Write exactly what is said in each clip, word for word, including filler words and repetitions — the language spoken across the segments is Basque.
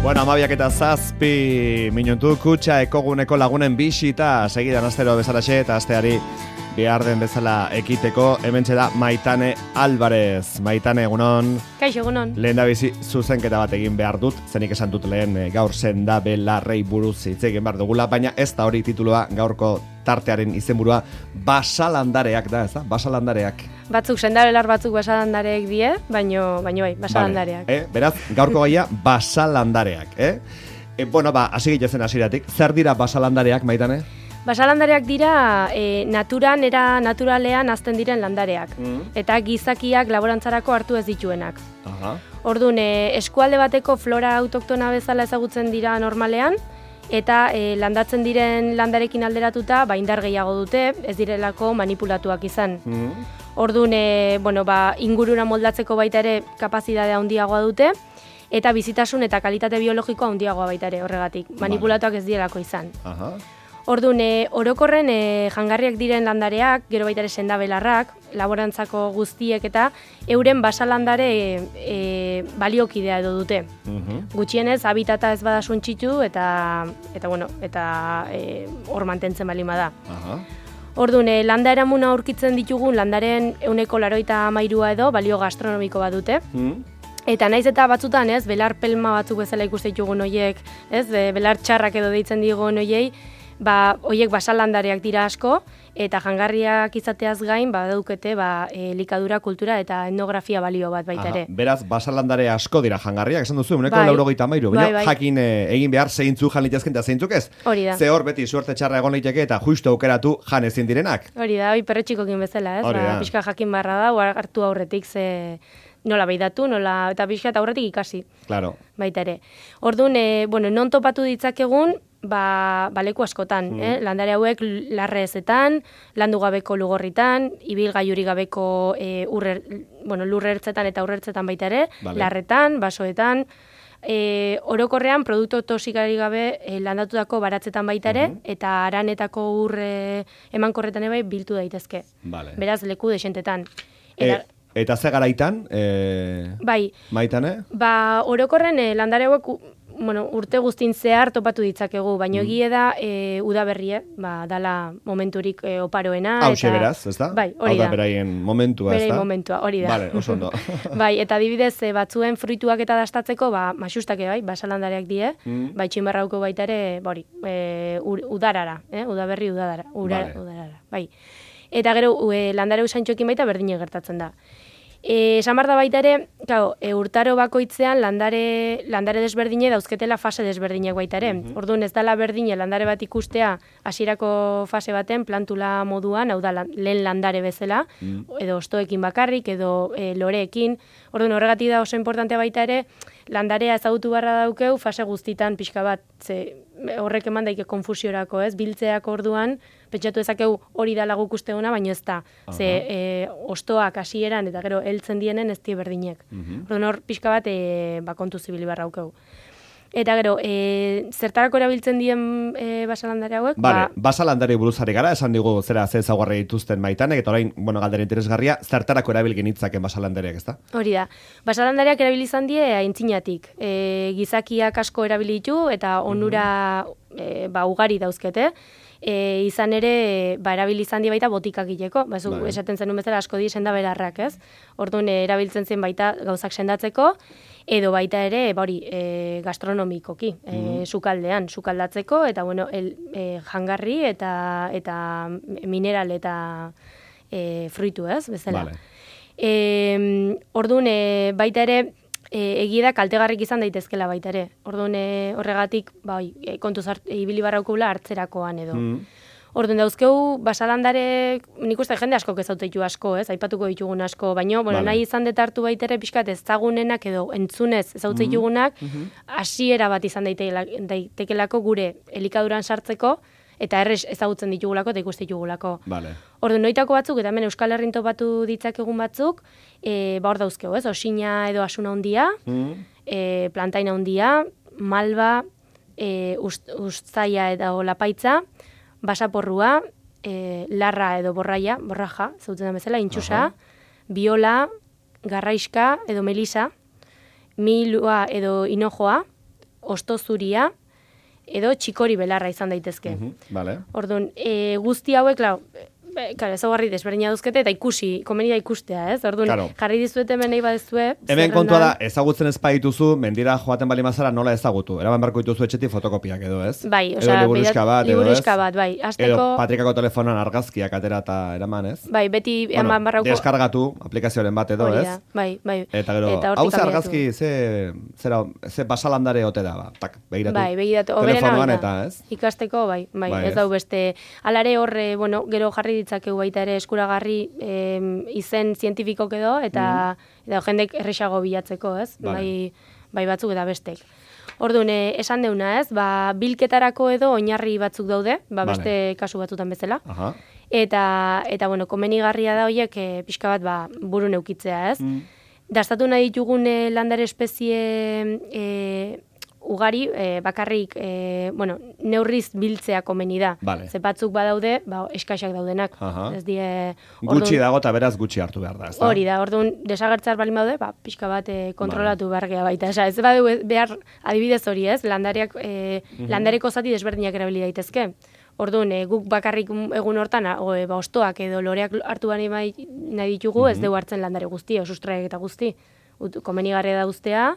Bueno, amabiak eta zazpi minutu kutxa ekoguneko lagunen bisita segidan astero bezalaxe eta asteari behar den bezala ekiteko hementxe da Maitane Alvarez. Maitane, egunon. Kaixo, egunon. Lehen da bizi zuzenketa bat egin behar dut, zenik esan dut lehen e, gaur senda belarrei buruz hitz egin behar dugula, baina ez da hori titulua gaurko tartearen izenburua basalandareak da, ez da? Basalandareak. Batzuk sendabelar batzuk basalandareak die, baino, baino bai, basalandareak. Vale. Eh, beraz, gaurko gaia basalandareak, eh? E, bueno, ba, hasi gilezen hasiratik. Zer dira basalandareak, Maitane? Basalandareak dira e, naturan, era naturalean hazten diren landareak. Mm. Eta gizakiak laborantzarako hartu ez dituenak. Aha. Orduan, e, eskualde bateko flora autoktona bezala ezagutzen dira normalean, eta e, landatzen diren landarekin alderatuta, ba, indar gehiago dute, ez direlako manipulatuak izan. Mm. Orduan, e, bueno, ba, ingurura moldatzeko baita ere kapazitatea handiagoa dute, eta bizitasun eta kalitate biologikoa handiagoa baita ere horregatik. Manipulatuak ez direlako izan. Aha. Orduan, e, orokorren e, jangarriak diren landareak, gero baita ere sendabelarrak, laborantzako guztiek eta euren basalandare e, e, baliokidea edo dute. Uh-huh. Gutxienez, habitata ez bada suntxitu eta, eta, bueno, eta e, hor mantentzen balin bada. Uh-huh. Orduan, e, landa eramuna aurkitzen ditugun landaren ehuneko larogeita hamairua edo balio gastronomiko bat dute. Uh-huh. Eta naiz eta batzutan, ez, belar pelma batzuk bezala ikuste ditugun hoiek, ez, belar txarrak edo deitzen digun hoiei, ba, hoiek basalandareak dira asko, eta jangarriak izateaz gain, ba, daukete, ba, elikadura, kultura eta etnografia balio bat baita ere. Beraz, basalandare asko dira jangarriak, esan duzu, uneko bai, laurogeita hamairu, bai, bai. Jakin e, egin behar zeintzu jan litezken eta zeintzuk ez? Hori da. Ze hor beti suerte txarra egon liteke eta justu aukeratu jan ezin direnak. Hori da, hoi perretxikokin bezala, ez? Ba, pixka jakin barra da, hartu aurretik ze nola beidatu, nola, eta pixka eta aurretik ikasi. Claro. Baita ere. Orduan, e, bueno, non topatu ditzakegun, ba, baleku askotan, mm. eh? Landare hauek larreezetan, landu gabeko lugorritan, ibilgailurik gabeko e, urrer, bueno, lurrertzetan eta urrertzetan baita ere, vale. Larretan, basoetan, e, orokorrean produktu toxikari gabe e, landatutako baratzetan baita ere, mm-hmm. eta aranetako urre emankorretan ere biltu daitezke. Vale. Beraz, leku desentetan. Eta, e... Eta ze garaitan, e... bai. Maitane? Ba, orokorren e, landare hauek bueno, urte guztin zehar topatu ditzakegu, baina mm. egie da e, udaberrie, ba, dala momenturik e, oparoena. Hauxe beraz, ez da? Bai, hori da. Hau da beraien momentua, ez da? Beraien momentua, hori da. Vale, oso ondo. Bai, eta adibidez e, batzuen fruituak eta dastatzeko, ba, maxustake bai, basalandareak die, mm. bai, txinbarrauko baita ere, bori, e, udarara, eh? Udaberri udarara, ura, vale. Udarara, bai. Eta gero, e, landare usantxoekin baita berdine gertatzen da. E, esan behar da baita ere, claro, e, urtaro bakoitzean landare, landare desberdine dauzketela fase desberdinek baita ere. Mm-hmm. Orduan ez dala berdine landare bat ikustea hasierako fase baten plantula moduan, hau da lehen landare bezala, mm. edo ostoekin bakarrik, edo e, loreekin. Orduan horregatik da oso importantea baita ere, landarea ezagutu barra daukeu fase guztitan pixka bat, ze horrek eman daike konfusiorako, ez? Biltzeak orduan, pentsatu ezakeu hori da lagu usteuna, baina ez da. Ze e, ostoak hasieran eta gero heltzen dienen ez die berdinek. Uh-huh. Orduan hor pixka bat e, ba, kontu zibili barra daukeu. Eta gero, e, zertarako erabiltzen dien e, basalandare hauek? Vale, ba, basalandare buruzari gara, esan digu zera ze ezaugarri dituzten Maitanek, eta orain, bueno, galdera interesgarria, zertarako erabilgen hitzaken basalandareak, ezta? Hori da. Basalandareak erabili izan die aintzinatik. E, gizakiak asko erabilitu eta onura mm-hmm. e, ba, ugari dauzkete. E, izan ere, ba, erabili izan di baita botikak gileko. Ba, vale. Esaten zenun bezala asko di sendabelarrak, ez? Orduan, e, erabiltzen zen baita gauzak sendatzeko, edo baita ere, bori, e, gastronomikoki, e, mm. sukaldean, sukaldatzeko, eta, bueno, el, e, jangarri eta, eta mineral eta e, fruitu, ez? Bezala. Vale. E, orduan, e, baita ere, E, egia da kaltegarrik izan daitezkela baita ere. Orduan e, horregatik, bai, e, kontuz hart, e, ibili barraukula hartzerakoan edo. Mm. Orduan dauzkeu basalandare, nik uste jende asko kezautetu asko, ez? Aipatuko ditugun asko, baina bueno, vale. Nahi izan detartu baita ere pixkat ezagunenak edo entzunez ezauteitugunak, mm-hmm. hasiera bat izan daitekelako gure elikaduran sartzeko, eta errez ezagutzen ditugulako eta ikuste ditugulako. Vale. Orduan, noitako batzuk, eta hemen Euskal Herrin topatu ditzakegun batzuk, e, ba hor dauzkeu, ez? Osina edo asuna hondia, mm. e, plantaina hondia, malba, e, ust, ustaia edo lapaitza, basaporrua, e, larra edo borraia, borraja, zautzen da bezala, intxusa, biola, garraiska edo melisa, milua edo hinojoa, osto zuria, edo txikori belarra izan daitezke. Mhm, vale. Orduan, e, guzti hauek, klar, Claro, ezaugarri desberdina duzkete eta ikusi, komeni da ikustea, ez? Orduan, claro. Jarri dizuet hemen nahi badezue. Hemen kontua da, ezagutzen ez baituzu, mendira joaten bali mazara nola ezagutu. Eraban barko dituzu etxetik fotokopiak edo, ez? Bai, edo osea, liburuska bat, edo, ez? bat, bai. Azteko... Edo patrikako telefonan argazkiak atera eta eraman, ez? Bai, beti bueno, eman barrauko... deskargatu aplikazioaren bat edo, ez? Bai, bai. Eta gero, hau ze argazki, ze, zera, ze basalandare ote da, ba, tak, begiratu. Bai, begiratu. Telefonoan eta, ez? Ikasteko, bai, bai, bai ez dau beste. Alare horre, bueno, gero jarri ditzakegu baita ere eskuragarri eh, izen zientifikok edo, eta, mm. eta jendek erresago bilatzeko, ez? Vale. Bai, bai batzuk eta bestek. Orduan, eh, esan deuna, ez? Ba, bilketarako edo oinarri batzuk daude, ba, vale. Beste kasu batzutan bezala. Aha. Eta, eta bueno, komenigarria da horiek eh, pixka bat ba, buru neukitzea, ez? Mm. Dastatu nahi ditugun eh, landare espezie eh, ugari, eh, bakarrik, eh, bueno, neurriz biltzea komeni da. Vale. Ze batzuk badaude, ba, eskaxak daudenak. Aha. Ez die... Gutxi dago eta beraz gutxi hartu behar da, ez da? Hori da, orduan, desagertzar bali daude, ba, pixka bat eh, kontrolatu vale. Behar baita. Osa, ez badu behar adibidez hori, ez? Landareak, eh, mm-hmm. landareko zati desberdinak erabili daitezke. Orduan, e, guk bakarrik egun hortan, o, e, ba, ostoak edo loreak hartu bani nahi ditugu, mm-hmm. ez dugu hartzen landare guzti, sustraiak eta guzti. Ut, komenigarria da ustea,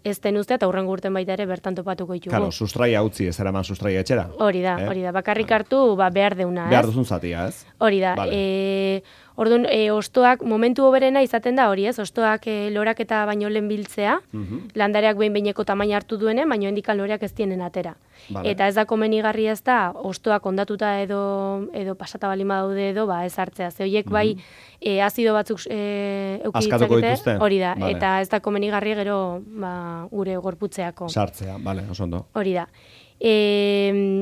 ez den ustea, eta hurrengo urten baita ere bertan topatuko ditugu. Claro, sustraia utzi, ez eraman sustraia etxera. Hori da, hori da, bakarrik hartu ba, behar deuna, ez? Behar duzun zatia, ez? Hori da, vale. e, orduan, e, ostoak, momentu oberena izaten da hori, ez? Ostoak e, lorak eta baino lehen biltzea, mm-hmm. landareak behin-behineko tamaina hartu duene, baino hendikan loreak ez tienen atera. Vale. Eta ez da komenigarria ez da, ostoak ondatuta edo, edo pasata balima daude edo, ba, ez hartzea. Ze horiek bai, mm-hmm. e, azido batzuk e, eukiditzakete, hori da, vale. Eta ez da komenigarria gero ba, gure gorputzeako. Sartzea, bale, oso ondo. Hori da. E,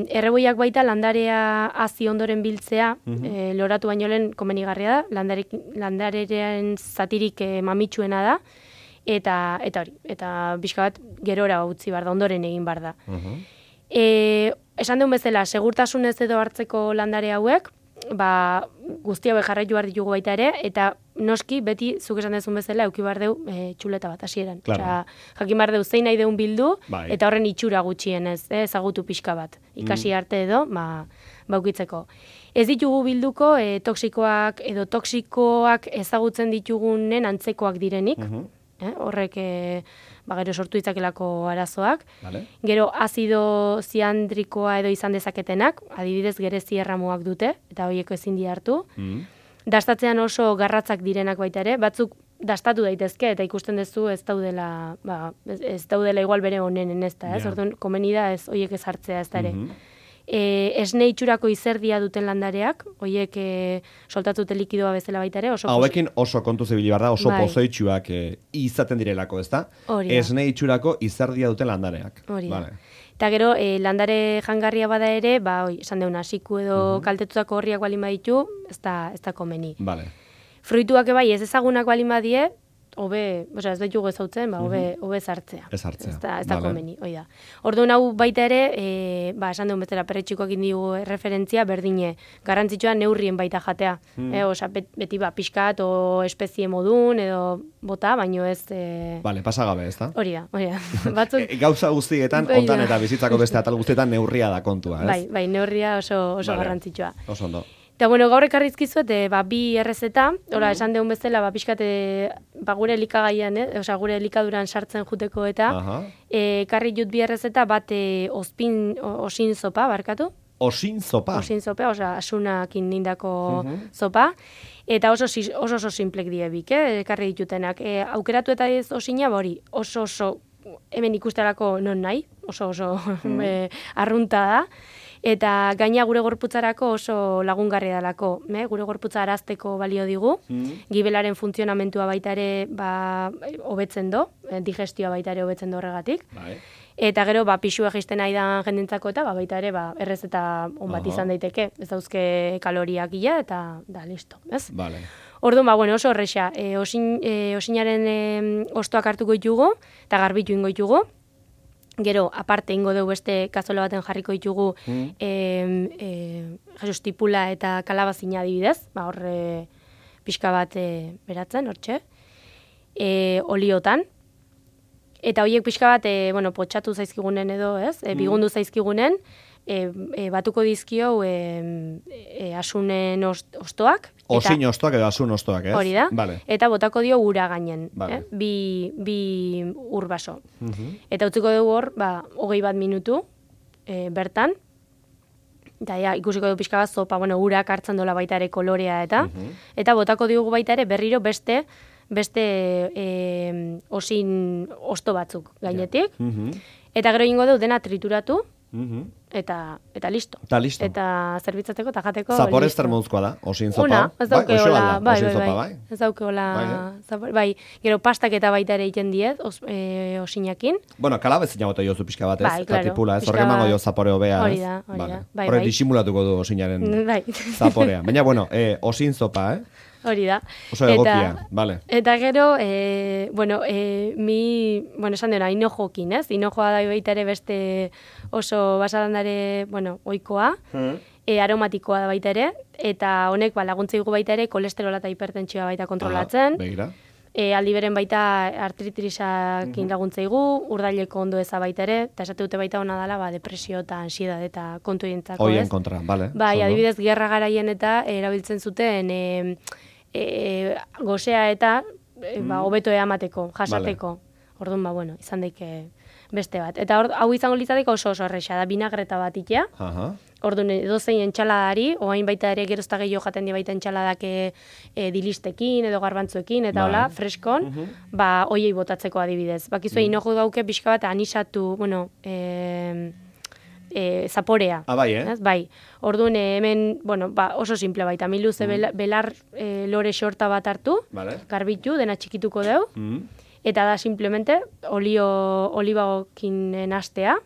erreboiak baita landarea hazi ondoren biltzea, mm-hmm. e, loratu baino lehen komenigarria da, landarek, landarearen zatirik e, mamitsuena da, eta eta hori, eta pixka bat gerora utzi bar da, ondoren egin bar da. Mm-hmm. E, esan duen bezala, segurtasunez edo hartzeko landare hauek, ba, guzti hauek jarraitu behar ditugu baita ere, eta noski, beti, zuk esan dezun bezala, euki behar deu e, txuleta bat hasieran. Claro. Osea, jakin behar deu zein nahi deun bildu, bai. Eta horren itxura gutxienez, eh, ezagutu pixka bat. Ikasi mm. arte edo, ba, baukitzeko. Ez ditugu bilduko e, toksikoak edo toksikoak ezagutzen ditugunen antzekoak direnik, mm-hmm. eh, horrek e, ba, gero sortu ditzakelako arazoak. Vale. Gero azido ziandrikoa edo izan dezaketenak, adibidez gerezi erramuak dute, eta horiek ezin di hartu. Mm. Dastatzean oso garratzak direnak baita ere, batzuk dastatu daitezke eta ikusten duzu ez daudela, ba, ez, ez daudela igual bere honenen ez da, ez? Yeah. Orduan, komeni da ez horiek ez hartzea ez da ere. Mm-hmm. E, esne itxurako izerdia duten landareak, horiek e, soltatute likidoa bezala baita ere. Oso hauekin oso kontu zibili bar da, oso bai. Pozoitxuak e, izaten direlako, ez da? Esne itxurako izerdia duten landareak. Hori da. Vale. Eta gero, e, landare jangarria bada ere, ba, oi, esan deuna, siku edo uh-huh. kaltetutako horriak balin baditu, ez da, ez da komeni. Vale. Fruituak ebai ez ezagunak balin badie, hobe, osea, ez ditugu ezautzen, ba, hobe, uh-huh. hobe zartzea. Ez hartzea. Ez da, ez da vale. komeni, hoi da. Orduan hau baita ere, e, ba, esan duen bezala perretxikoak indigu referentzia, berdine, garrantzitsua neurrien baita jatea. Hmm. E, osea, beti ba, pixkat o espezie modun, edo bota, baino ez... E... Vale, pasagabe, ez da? Hori da, hori da. Batzuk... e, gauza guztietan, ondan eta bizitzako beste atal guztietan neurria da kontua, ez? Bai, bai, neurria oso, oso vale. Garrantzitsua. Oso ondo. Eta, bueno, gaur ekarrizkizuet, e, ba, bi errezeta, ora, esan deun bezala, ba, pixkate, ba, gure elikagaian, eh? Osa, gure elikaduran sartzen juteko eta, e, karri jut bi errezeta, bat e, ospin, osin zopa, barkatu? Osin zopa? Osin zopa, osa, asunakin nindako uh-huh. zopa, eta oso oso, oso simplek diebik, eh? Karri ditutenak. E, aukeratu eta ez osina, hori, oso oso, hemen ikusterako non nahi, oso oso uh-huh. e, arrunta da, eta gaina gure gorputzarako oso lagungarria dalako, me? Gure gorputza arazteko balio digu, mm. gibelaren funtzionamentua baita ere ba, hobetzen do, digestioa baita ere hobetzen do horregatik. Bai. Eta gero, ba, pixua egisten nahi da jendentzako eta ba, baita ere ba, errezeta on bat izan daiteke, ez dauzke kaloriak gila eta da, listo, ez? Vale. Orduan, ba, bueno, oso horrexa, e, osin, e, osinaren e, ostoak hartuko ditugu eta garbitu ingo ditugu. Gero, aparte, ingo dugu beste kazola baten jarriko ditugu mm. e, e, Jesus tipula eta kalabazina adibidez, ba, horre pixka bat e, beratzen, hortxe, e, oliotan, eta horiek pixka bat, e, bueno, potxatu zaizkigunen edo, ez? E, bigundu zaizkigunen, e, e, batuko dizkio e, e, asunen ost, ostoak. Osin ostoak edo asun ostoak, ez? Hori da. Vale. Eta botako dio ura gainen, Vale. eh? bi, bi ur baso. Uh -huh. Eta utziko dugu hor, ba, hogei bat minutu e, bertan, eta ja, ikusiko du pixka bat zopa, bueno, urak hartzen dola baita ere kolorea eta, uh -huh. eta botako diogu baita ere berriro beste, beste e, osin osto batzuk gainetik, uh -huh. eta gero ingo dugu dena trituratu, uh -huh. eta, eta listo. Eta listo. Eta zerbitzatzeko eta jateko. Zapore zer moduzkoa da, osin zopa. Ona, ez dauke bai, hola, bai, osin bai, zopa, bai, bai. ez dauke hola, Bai, eh? zapore, bai, gero pastak eta baita ere egiten diet, os, e, osinakin. Bueno, kalabezina bota jozu pixka bat, ez? Bai, claro. Katipula, ez? Pixka Horre emango bat- jo zapore hobea, ez? Hori da, hori Vale. da, bai, Horre bai. disimulatuko du osinaren Bai. zaporea. Baina, bueno, eh, osin zopa, eh? Hori da. Oso egokia, vale. Eta gero, e, bueno, e, mi, bueno, esan dena, inojokin, ez? Inojoa da baita ere beste oso basalandare, bueno, oikoa, Hmm. e, aromatikoa da baita ere, eta honek ba, laguntza digu baita ere kolesterola eta hipertentsioa baita kontrolatzen. Ah, begira. E, aldi beren baita artritrisakin laguntza digu, urdaileko ondo eza baita ere, eta esate dute baita ona dela, ba, depresio eta ansiedade eta kontu dientzako, Hoien ez? kontra, vale. Bai, oso ondo. adibidez, gerra garaien eta erabiltzen zuten e, e, gozea eta e, ba, hobeto eamateko, jasateko. Orduan, ba, bueno, izan daike beste bat. Eta hor, hau izango litzateke oso oso erresa, da binagreta bat itea. Aha. Orduan, edozein entxaladari, oain baita ere gerozta gehiago jaten di baita entxaladak e, e, dilistekin edo garbantzuekin, eta Bai. hola, freskon, ba, oiei botatzeko adibidez. Bakizue, mm. inojo dauke pixka bat anisatu, bueno, e, e, zaporea. Ah, bai, eh? Ez? Bai. Orduan, eh, hemen, bueno, ba, oso simple baita, miluze bela- belar e, lore xorta bat hartu, Vale. garbitu, dena txikituko deu, Mm. eta da simplemente olio olibaokin nastea.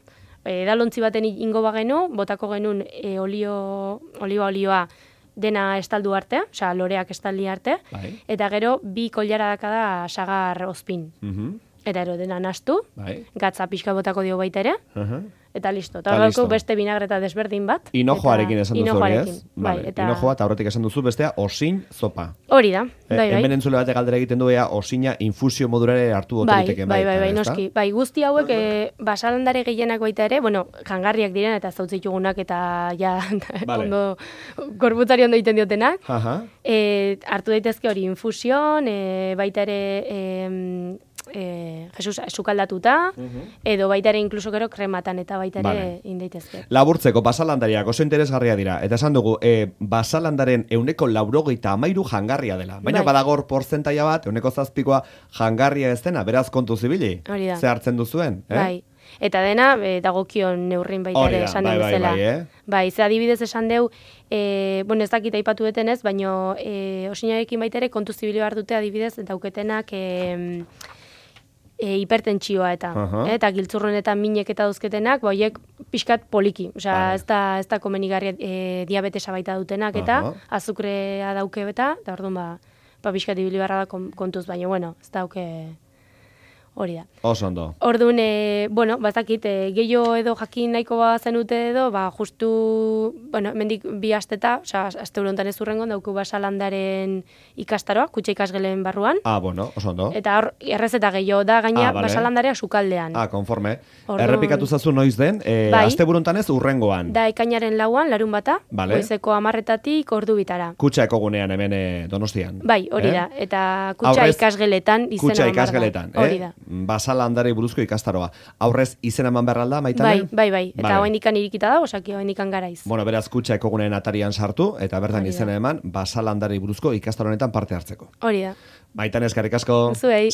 E, edalontzi baten ingo bagenu, botako genuen e, olio, oliba olioa dena estaldu arte, osea loreak estaldi arte, Bai. eta gero bi koilara da sagar ozpin. Mhm. Eta gero dena nastu, Bai. gatza pixka botako dio baita ere, Aha. eta listo. Eta Ta hor listo. daukagu beste binagreta desberdin bat. Inojoarekin eta- esan duzu hori, inojoarekin, ez? Bai, Vale. eta Inojoa, eta horretik esan duzu bestea, osin zopa. hori da, Eh, bai, bai. Hemen entzule batek galdera egiten du ea osina infusio modurare hartu Bai, oteriteken bai, bai, bai, ezta? noski. Bai, guzti hauek e, basalandare gehienak baita ere, bueno, jangarriak diren eta zautzitugunak eta ja Vale. ondo gorputzari ondo egiten diotenak. Aha. E, hartu daitezke hori infusion, e, baita ere e, e, Jesus, sukaldatuta, edo baita ere inkluso gero krematan eta baita ere Vale. egin daitezke. Laburtzeko, basalandariak oso interesgarria dira. Eta esan dugu, e, basalandaren euneko laurogeita amairu jangarria dela. Baina Bai. badagor porzentaia bat, euneko zazpikoa jangarria ez dena, beraz kontu zibili. Hori da. Ze hartzen duzuen, eh? Bai. Eta dena e, dagokion neurrin baita Hori ere da, esan bai, den bai, bezala. bai, eh? Bai, ze adibidez esan deu, e, bueno, ez dakit aipatu detenez, baino e, osinarekin baita ere kontu zibili behar dute adibidez dauketenak e, e, hipertentsioa eta, Aha. eh, eta giltzurrun eta minek eta dauzketenak, ba, horiek pixkat poliki. Osea, Vale. ez da, ez da komenigarria e, diabetesa baita dutenak eta Aha. azukrea dauke eta, eta orduan ba, ba pixkat ibili beharra da kon- kontuz, baina, bueno, ez dauke hori da. Oso ondo. Orduan, e, bueno, bazakit, e, gehiago edo jakin nahiko ba zenute edo, ba, justu, bueno, mendik bi asteta, osea, aste honetan ez urrengon, dauku basalandaren ikastaroa, kutxa ikasgelen barruan, Ah, bueno, oso ondo. eta hor, errezeta gehiago da, gaina Ah, vale. basalandarea sukaldean. Ah, konforme. Orduan- Errepikatu zazu noiz den, e, Bai. aste buruntan urrengoan. Da ekainaren lauan, larun bata, Vale. goizeko amarretatik ordu bitara. Kutxa ekogunean hemen e, Donostian. Bai, hori Eh? da, eta kutxa Aurrez, ikasgeletan izena Kutxa eman behar da. ikasgeletan, Hori eh? da. Basalandari buruzko ikastaroa. Aurrez izena eman behar alda, Maitane? Bai, bai, bai. Eta Vale. oraindikan irikita da, osaki oraindikan garaiz. Bueno, beraz, kutxa ekoguneen atarian sartu, eta bertan Hori da. izena eman, basalandari buruzko ikastaro honetan parte hartzeko. Hori da. Maitane, eskerrik asko. Zuei.